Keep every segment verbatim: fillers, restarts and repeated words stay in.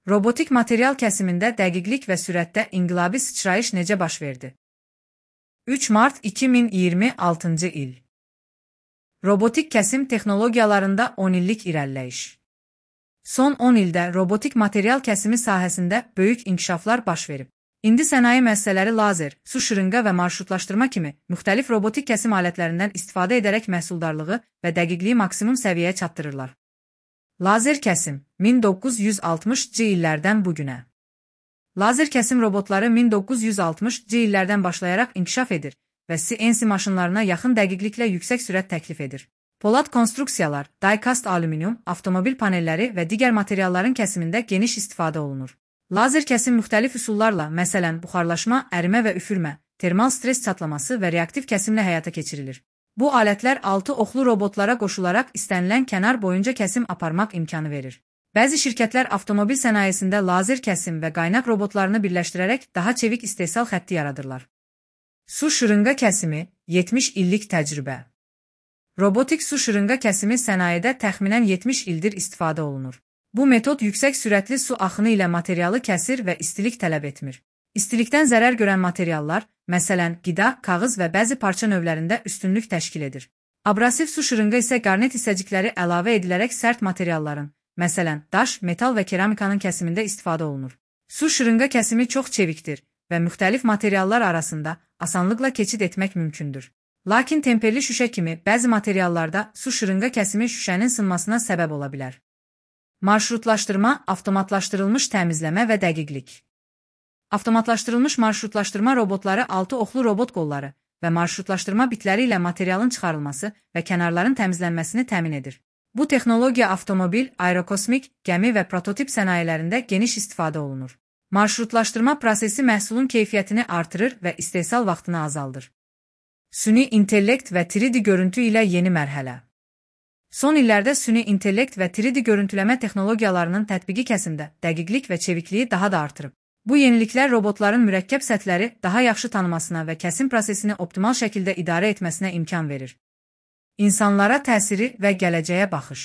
Robotik material kəsimində dəqiqlik və sürətdə inqilabi sıçrayış necə baş verdi? üç mart iki min iyirmi altıncı il. Robotik kəsim texnologiyalarında on illik irəliləyiş. Son on ildə robotik material kəsimi sahəsində böyük inkişaflar baş verib. İndi sənaye müəssisələri lazer, su şırınqa və marşrutlaşdırma kimi müxtəlif robotik kəsim alətlərindən istifadə edərək məhsuldarlığı və dəqiqliyi maksimum səviyyəyə çatdırırlar. Lazer kəsim min doqquz yüz altmışcı illərdən bugünə. Lazer kəsim robotları min doqquz yüz altmışcı illərdən başlayaraq inkişaf edir və C N C maşınlarına yaxın dəqiqliklə yüksək sürət təklif edir. Polad konstruksiyalar, die-cast alüminium, avtomobil panelləri və digər materialların kəsimində geniş istifadə olunur. Lazer kəsim müxtəlif üsullarla, məsələn, buxarlaşma, ərimə və üfürmə, termal stres çatlaması və reaktiv kəsimlə həyata keçirilir. Bu alətlər altı oxlu robotlara qoşularaq istənilən kənar boyunca kəsim aparmaq imkanı verir. Bəzi şirkətlər avtomobil sənayesində lazer kəsim və qaynaq robotlarını birləşdirərək daha çevik istehsal xətti yaradırlar. Su şırınqa kəsimi, yetmiş illik təcrübə. Robotik su şırınqa kəsimi sənayedə təxminən yetmiş ildir istifadə olunur. Bu metod yüksək sürətli su axını ilə materialı kəsir və istilik tələb etmir. İstilikdən zərər görən materiallar, məsələn, qida, kağız və bəzi parça növlərində üstünlük təşkil edir. Abrasiv su şırınqa isə qarnet hissəcikləri əlavə edilərək sərt materialların, məsələn, daş, metal və keramikanın kəsimində istifadə olunur. Su şırınqa kəsimi çox çevikdir və müxtəlif materiallar arasında asanlıqla keçid etmək mümkündür. Lakin temperli şüşə kimi bəzi materiallarda su şırınqa kəsimi şüşənin sınmasına səbəb ola bilər. Marşrutlaşdırma, avtomatlaşdırılmış təmizləmə və dəqiqlik. Avtomatlaşdırılmış marşrutlaşdırma robotları altı oxlu robot qolları və marşrutlaşdırma bitləri ilə materialın çıxarılması və kənarların təmizlənməsini təmin edir. Bu texnologiya avtomobil, aerokosmik, gəmi və prototip sənayelərində geniş istifadə olunur. Marşrutlaşdırma prosesi məhsulun keyfiyyətini artırır və istehsal vaxtını azaldır. Süni intellekt və üç D görüntü ilə yeni mərhələ. Son illərdə süni intellekt və üç D görüntüləmə texnologiyalarının tətbiqi kəsimdə dəqiqlik və çevikliyi daha da artırıb. Bu yeniliklər robotların mürəkkəb səthləri daha yaxşı tanımasına və kəsim prosesini optimal şəkildə idarə etməsinə imkan verir. İnsanlara təsiri və gələcəyə baxış.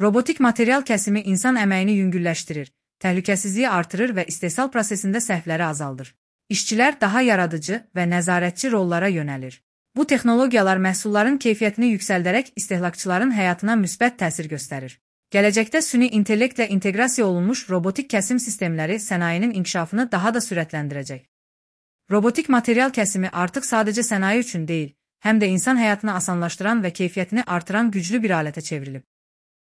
Robotik material kəsimi insan əməyini yüngülləşdirir, təhlükəsizliyi artırır və istehsal prosesində səhvləri azaldır. İşçilər daha yaradıcı və nəzarətçi rollara yönəlir. Bu texnologiyalar məhsulların keyfiyyətini yüksəldərək istehlakçıların həyatına müsbət təsir göstərir. Gələcəkdə süni intellektlə inteqrasiya olunmuş robotik kəsim sistemləri sənayenin inkişafını daha da sürətləndirəcək. Robotik material kəsimi artıq sadəcə sənaye üçün deyil, həm də insan həyatını asanlaşdıran və keyfiyyətini artıran güclü bir alətə çevrilib.